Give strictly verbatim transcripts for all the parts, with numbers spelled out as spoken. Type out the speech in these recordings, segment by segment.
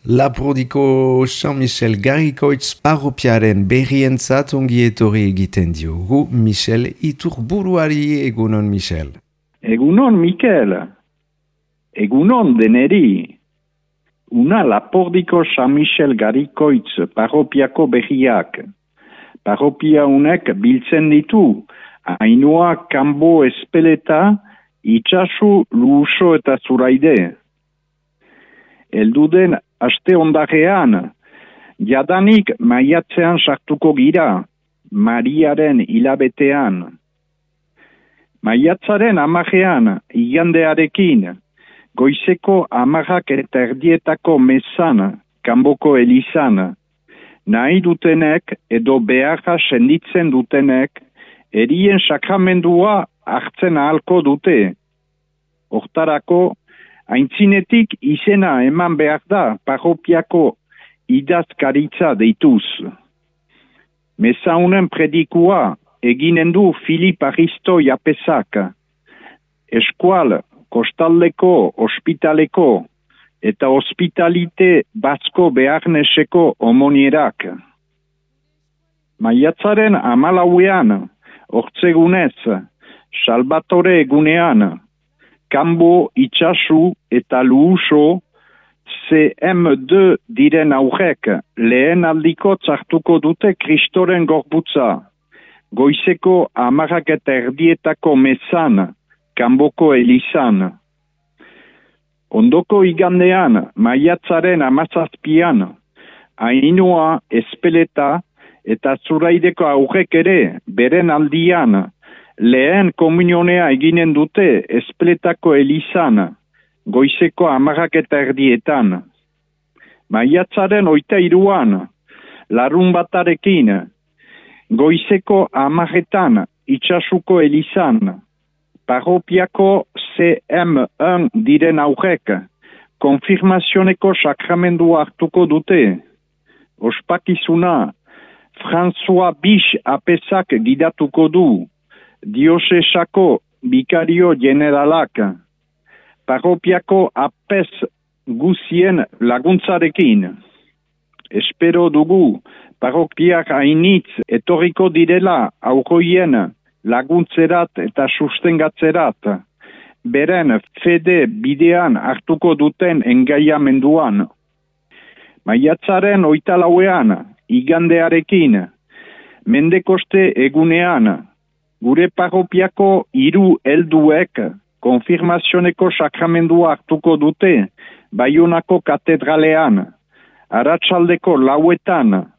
Lapurdiko Jean-Michel Garrikoitz parropiaren berrientzat ongi etorri egiten diogu Michel Iturburuari. Egunon, Michel. Egunon, Mikel. Egunon deneri. Una Lapurdiko Jean-Michel Garrikoitz parropiako berriak. Parropia unek biltzen ditu Ainhoa, Kanbo, Espeleta, Itxasu, Luuso eta Zuraide. Elduden aste ondarean, jadanik maiatzean sartuko gira, Mariaren hilabetean. Maiatzaren amajean, igandearekin, goizeko amarrak eta erdietako mesan, Kanboko elizan, nahi dutenek edo beharra senditzen dutenek, erien sakramendua hartzen ahalko dute. Hortarako, aintzinetik izena eman behar da parropiako idazkaritza deituz. Mesaunen predikua eginen du Filip Aristo Japesak. Eskual, kostaldeko, ospitaleko eta hospitalite batzko beharneseko omonierak. Maiatzaren amalauean, hortzegunez, Salvatore egunean, Kanbo, Itxasu eta Luuso C M deux diren aurrek lehen aldiko txartuko dute Kristoren gorbutza. Goizeko amarrak eta erdietako mesan, Kanboko elizan. Ondoko igandean, maiatzaren amazazpian, Ainhoa, Espeleta eta Zuraideko aurrek ere beren aldian, lehen komunionea eginen dute Espletako elizan, goizeko amarrak eta erdietan. Maiatzaren oita iruan, larun batarekin, goizeko amarretan Itxasuko elizan, parropiako C M un diren aurrek, konfirmazioneko sakramendua hartuko dute. Ospakizuna, François Bich Apesak gidatuko du, diosesako bikario generalak, parropiako apes guzien laguntzarekin. Espero dugu, parropiak hainitz etorriko direla aurroien laguntzerat eta sustengatzerat, beren fede bidean hartuko duten engaiamenduan. Maiatzaren oita lauean, igandearekin, Mendekoste egunean, gure parropiako hiru helduek konfirmazioneko sakramendua hartuko dute Baionako katedralean, arratsaldeko lauetan,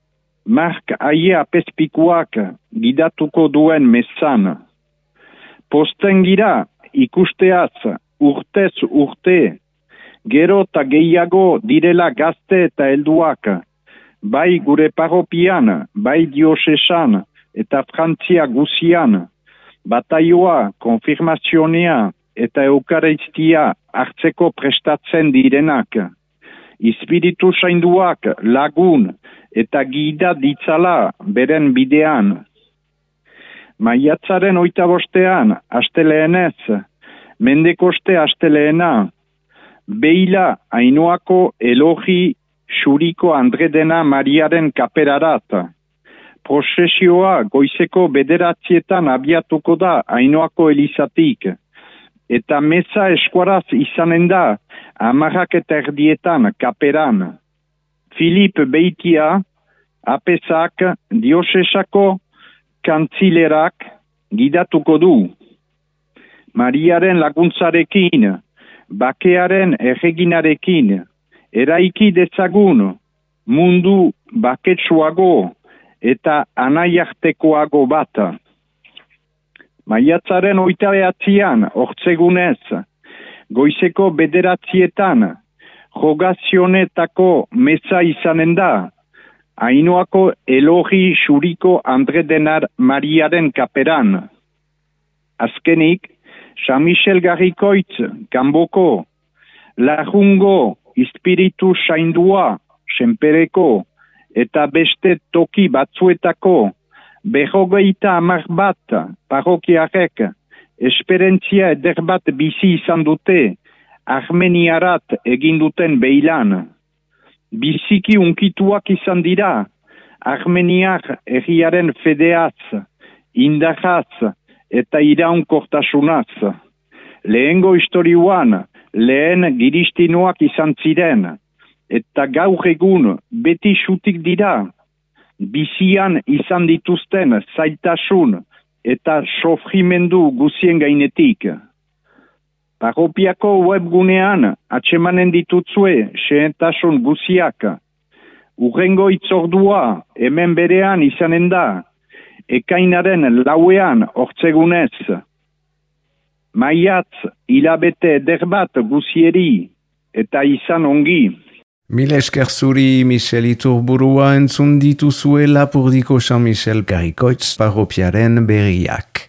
Mark Aie apezpikuak gidatuko duen mesan. Posten gira ikusteaz urtez urte, gero eta gehiago direla gazte eta helduak, bai gure parropian, bai diosesan eta Frantzia guzian, bataioa, konfirmazionea eta eukaristia hartzeko prestatzen direnak. Espiritu sainduak lagun eta gida ditzala beren bidean. Maiatzaren oita bostean, asteleenez, Mendekoste astelehena, Beila Ainhoako elogi xuriko Andredena Mariaren kaperarat. Prozesioa goizeko bederatzietan abiatuko da Ainhoako elizatik, eta meza eskuaraz izanen da amarrak eta erdietan kaperan. Filip Beitia, Apesak, diosesako kantzilerak gidatuko du. Mariaren laguntzarekin, bakearen erreginarekin, eraiki dezagun mundu baketsuago eta anaiartekoago bat. Maiatzaren oita behatzian, hortzegunez, goizeko bederatzietan, jogazionetako meza izanen da, Ainhoako elogi xuriko Andredenar Mariaren kaperan. Azkenik, Jean-Michel Garrikoitz, Kanboko, Larrungo, Espiritu saindua, senpereko, eta beste toki batzuetako, berrogeita hamar bat parrokiarek, esperientzia eder bat bizi izan dute, Armeniarat egin duten beilan. biziki unkituak izan dira, Armeniak herriaren fedeaz, indarraz eta iraunkortasunaz. Lehengo historioan, lehen giristinoak izan ziren, eta gaur egun beti xutik dira, bizian izan dituzten zailtasun eta sofrimendu guzien gainetik. Parropiako webgunean atsemanen ditutzue xehentasun guziak. Urrengo itzordua hemen berean izanen da, ekainaren lauean hortzegunez. Maiatz hilabete eder bat guzieri eta izan ongi. Mil esker zuri Michel Iturburua entzun dituzue Lapurdiko Jean-Michel Garrikoitz parropiaren berriak.